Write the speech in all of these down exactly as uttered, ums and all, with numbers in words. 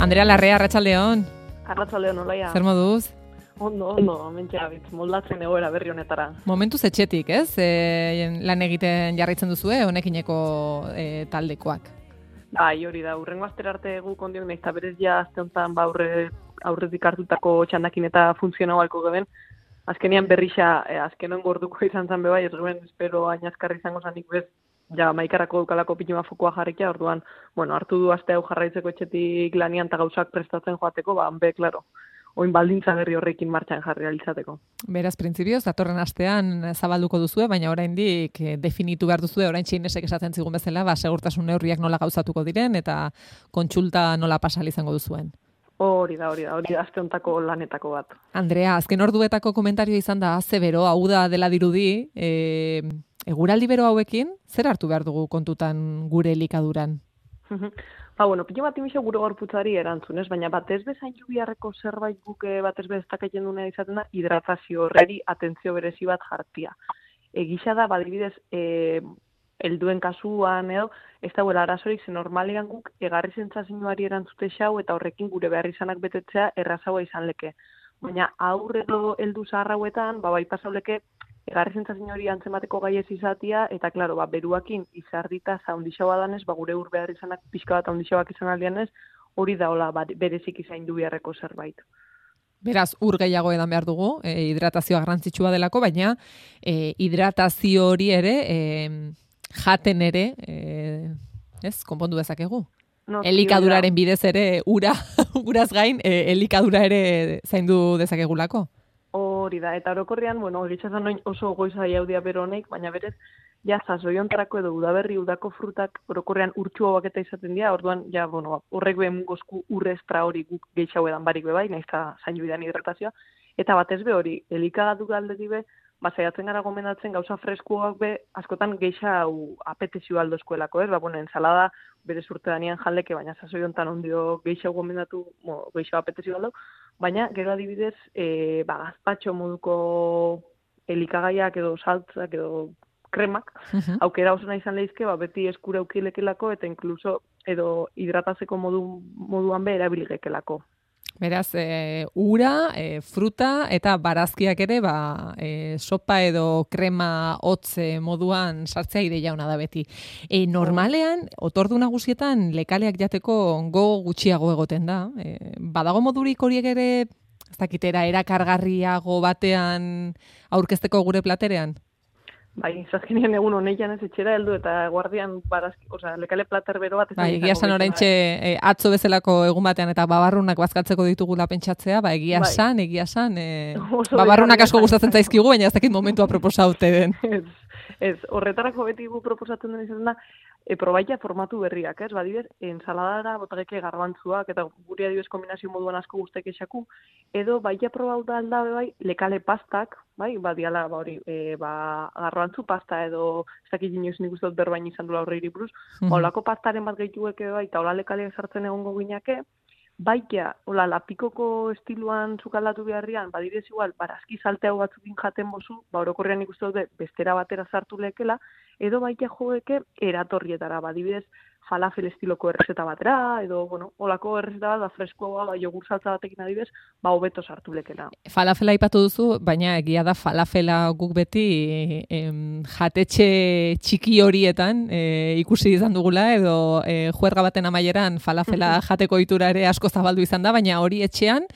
Andrea Larrea, arratsaldeon. Arratsaldeon, Olaia. Zer moduz? Ondo, ondo, mentxe abitz, moldatzen egoera berri honetara. Momentuz etxetik, ez? E, lan egiten jarraitzen duzue, honekineko e, taldekoak. Bai, hori da, urrengo astera arte guk ondiok nahiz, eta berez ja azte honetan ba, aurre, aurretik hartutako txandakin eta funtzionau halko geben. Azkenian berrixa, e, azkenon gorduko izan zen bebai, ez geben, espero ainazkarri izango zanik bez, ja, maikarako dukalako pituma fokoa jarrikia, orduan, bueno, hartu du aste hau jarraitzeko etxetik lanian eta gauzak prestatzen joateko, ba, be, klaro, oin baldintza berri horrekin martxan jarri alitzateko. Beraz, printzipioz, datorren astean zabalduko duzue, baina oraindik definitu behar duzue, orain txinesek esaten zigun bezala, ba, segurtasun neurriak nola gauzatuko diren, eta kontsulta nola pasal izango duzuen. Hori da, hori da, hori da, azte hontako lanetako bat. Andrea, azken orduetako komentario izan da, ze bero, hau da dela dirudi, e, eguraldi bero hauekin, zer hartu behar dugu kontutan gure elikaduran? Ba, bueno, pilo bat imixo gure gorputzari erantzunez, baina batez bezain jubiarreko zerbait guke batez bez dakaiten duena izaten da, hidratazio horreri atentzio berezi bat jartia. Egisa da, badibidez, e, helduen kasuan edo, ez dauela arazorik, ze normalean guk egarri zentzazioari erantzute xau eta horrekin gure behar izanak betetzea errazagoa izan leke. Baina aurre edo heldu zaharrauetan, ba, bai pasauleke, egarri zentzazio hori antzemateko gai ez izatia, eta, klaro, ba, beruakin izardita zaundixaua danez, ba, gure ur behar izanak pixka bat haundixauak izan aldianez, hori da, hola, ba, berezik izain du beharreko zerbait. Beraz, ur gehiago edan behar dugu, e, hidratazioa garrantzitsua delako, baina e, hidratazio hori ere, e, jaten ere, e, ez, konpondu dezakegu. No, elikaduraren bidez ere, ura, uraz gain, e, elikadura ere zaindu dezakegulako. Hori da, eta orokorrean, bueno, egitxazan noin oso goiza jaudia bero honek, baina berez, ja, zazoi-ontarako edo udaberri udako frutak orokorrean urtsu hauak eta izaten dira, orduan, ja, bueno, horrek behen gozku urrestra hori guk gehiago edan barik bebai, nahiz eta zainu bidan hidratazioa, eta batez be hori, elikagatu galdetik be, ba, saiatzen gara gomendatzen gauza freskoak be, askotan gehiago apetezio aldo eskuelako, ez? Ba, bueno, ensalada bere urte danian jaldeke, baina zazoi hontan ondio gehiago gomendatu, bueno, gehiago apetezio aldo, baina gero adibidez, e, ba, gazpatxo moduko elikagaiak edo saltzak edo kremak, uh-huh. aukera oso nahi izan lehizke, ba, beti eskura aukilekelako eta inkluso edo hidratazeko modu, moduan be erabiligekelako. Beraz, e, ura, e, fruta eta barazkiak ere, ba, e, sopa edo krema hotze moduan sartzea ideia ona da beti. E, normalean, otordu nagusietan lekaleak jateko gogo gutxiago egoten da. E, badago modurik horiek ere, ez dakitera, erakargarriago batean aurkezteko gure platerean? Bai, zazkenean egun honeian ez etxera heldu eta guardian barazki, oza, lekale plater bero bat. Bai, egia san oraintxe e, atzo bezalako egun batean eta babarrunak bazkatzeko ditugula pentsatzea, ba, egia bai. san, egia san, e, babarrunak asko gustatzen zaizkigu, baina ez dakit momentua proposaute den. Ez, ez, horretarako beti gu proposatzen den izan da, e, probaita formatu berriak, ez? Badibez, ensaladara botageke garbantzuak eta guri adibez kombinazio moduan asko guztek esaku, edo baita probau da aldabe bai, lekale pastak, bai, badiala, ba, hori, e, ba, garbantzu pasta edo, ez dakit inoiz nik uste dut berbain izan dula horre iriburuz, mm-hmm. Olako pastaren bat gehitueke bai, eta hola lekaleak sartzen egongo gineke, baikia, hola, lapikoko estiluan zukaldatu beharrian, badirez igual, barazki salteago batzukin jaten bozu, ba, orokorrean ikustu dut bestera batera sartu lekela, edo baikia joeke eratorrietara, badibidez, falafel estiloko errezeta batera, edo, bueno, holako errezeta bat, ba, freskoa, ba, jogur saltza batekin adibidez, ba, hobeto sartu lekela. Falafela aipatu duzu, baina egia da falafela guk beti em, jatetxe txiki horietan e, ikusi izan dugula, edo e, juerga baten amaieran falafela jateko itura ere asko zabaldu izan da, baina hori etxean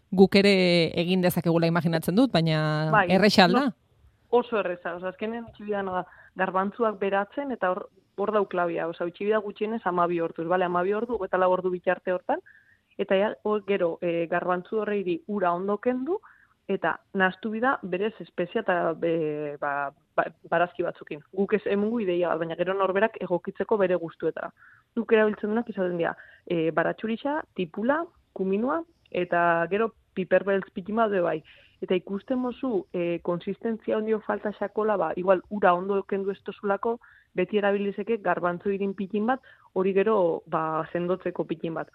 guk ere egin dezakegula imaginatzen dut, baina bai, erresa alda? No, oso erreza, oza, azkenen txibidan garbantzuak beratzen, eta hor hor dau klabia, oza, utxibida gutxienez amabi orduz, bale, amabi ordu, eta lau ordu bitarte hortan, eta ja, hor gero, e, garbantzu horreiri ura ondo kendu, eta nahastu bida berez espezia eta be, ba, ba, barazki batzukin. Guk ez emungu ideia bat, baina gero norberak egokitzeko bere gustuetara. Duk erabiltzen duenak izaten dira, e, baratxurixa, tipula, kuminua, eta gero piperbeltz pikima de bai. Eta ikusten mozu, e, konsistentzia ondio falta xakola, ba, igual ura ondo kendu ez tozulako, beti erabilizeke garbantzu irin pikin bat, hori gero ba, sendotzeko pikin bat.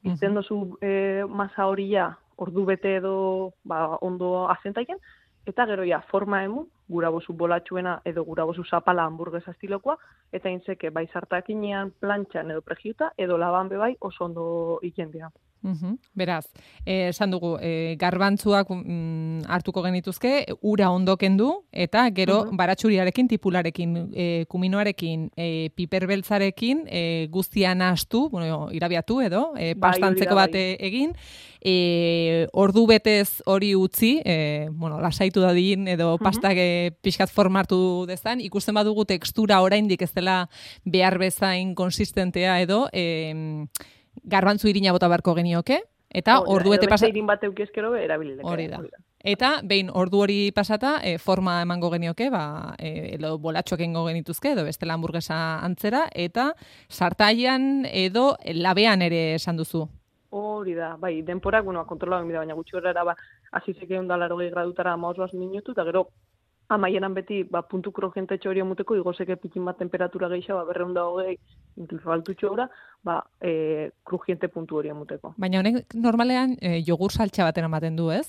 Izten dozu e, masa hori ja, ordu bete edo ba, ondo azentaien, eta gero ja forma emu, gura bozu bolatxuena edo gura bozu zapala hamburguesa estilokoa, eta intzeke bai sartakinean, plantxan edo pregiuta, edo laban bebai oso ondo ikendea. Uhum. Beraz, eh, esan dugu, eh, garbantzuak mm, hartuko genituzke, ura ondo kendu, eta gero Uhum. baratxuriarekin, tipularekin, eh, kuminoarekin, eh, piperbeltzarekin, eh, guztian astu, bueno, irabiatu edo, eh, Bai, pastantzeko hori da, bat eh, egin, eh, ordu betez hori utzi, eh, bueno, lasaitu dadin, edo pastak eh, pixkat formartu dezan, ikusten badugu tekstura oraindik ez dela behar bezain konsistentea edo, eh, garbantzu irina bota beharko genioke, eta Hori da, ordu bete edo pasa... beste irin bat eukiezkero erabilileke. Hori da. Eta behin ordu hori pasata, e, forma emango genioke, ba, e, edo bolatxoak egingo genituzke, edo bestela hamburguesa antzera, eta sartaian edo labean ere esan duzu. Hori da, bai, denporak, bueno, kontrola da, baina gutxi horrela, ba, azizek egun da larogei gradutara amaoz minutu, eta gero, amaieran beti, ba, puntu krojentetxo hori amuteko, igozeke pikin bat temperatura gehiago, ba, berreunda hogei, inkluso altutxo gura, ba, e, krujente puntu hori amuteko. Baina honek normalean e, jogur saltxa baten ematen du, ez?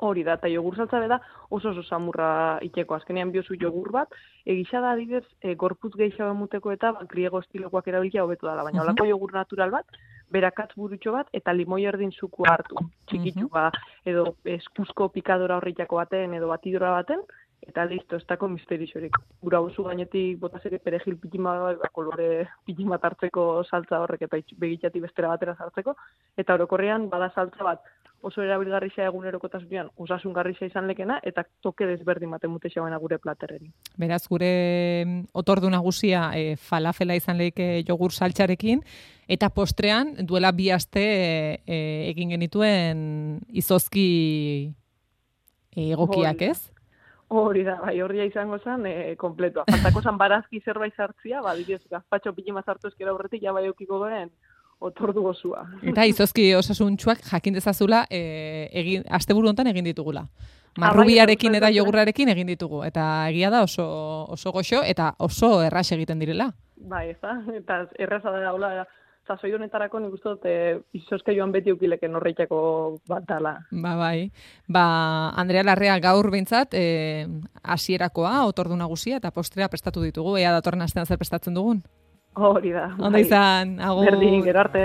Hori da, eta jogur saltza beda oso oso samurra iteko. Azkenean biozu jogur bat, egisa da adibidez, e, gorputz gehiago emuteko eta ba, griego estilokoak erabilia hobetu dela, baina holako jogur natural bat, berakatz burutxo bat, eta limoi erdin zuku hartu, txikitxu ba, edo eskuzko pikadora horritako baten, edo batidora baten, eta listo, ez dako misterixorik. Gura oso gainetik botazeke perejil pitima, ba, kolore pitima hartzeko saltza horrek, eta begitxati bestera batera sartzeko, eta orokorrean bada saltza bat, oso erabilgarrisa egunerokotasunean osasungarrisa izan lekena, eta toke desberdin baten mutexauena gure platerreri. Beraz, gure otordu nagusia e, falafela izan lehike jogur saltxarekin, eta postrean duela bi aste e, e, egin genituen izozki egokiak, ez? Hori da, bai, horria izango zen, e, kompletoa. Faltako zan barazki zerbait sartzia, ba, didez, gazpatxo pilima sartu ezkera horretik, ja bai eukiko goren, otordu gozua. Eta izozki osasuntxuak jakin dezazula e, egin, asteburu hontan egin ditugula. Marrubiarekin eta jogurrarekin egin ditugu. Eta egia da oso, oso goxo eta oso erraz egiten direla. Bai, ez da, eta erraza da, hola, zazoi honetarako nik uste dut e, izozka joan beti eukileken horreitako bat dala. Ba, bai. Ba, Andrea Larrea gaur behintzat, e, hasierakoa, otordu nagusia eta postrea prestatu ditugu. Ea datorren astean zer prestatzen dugun? Hori da. Ondo izan, agur. Berdin, gero arte.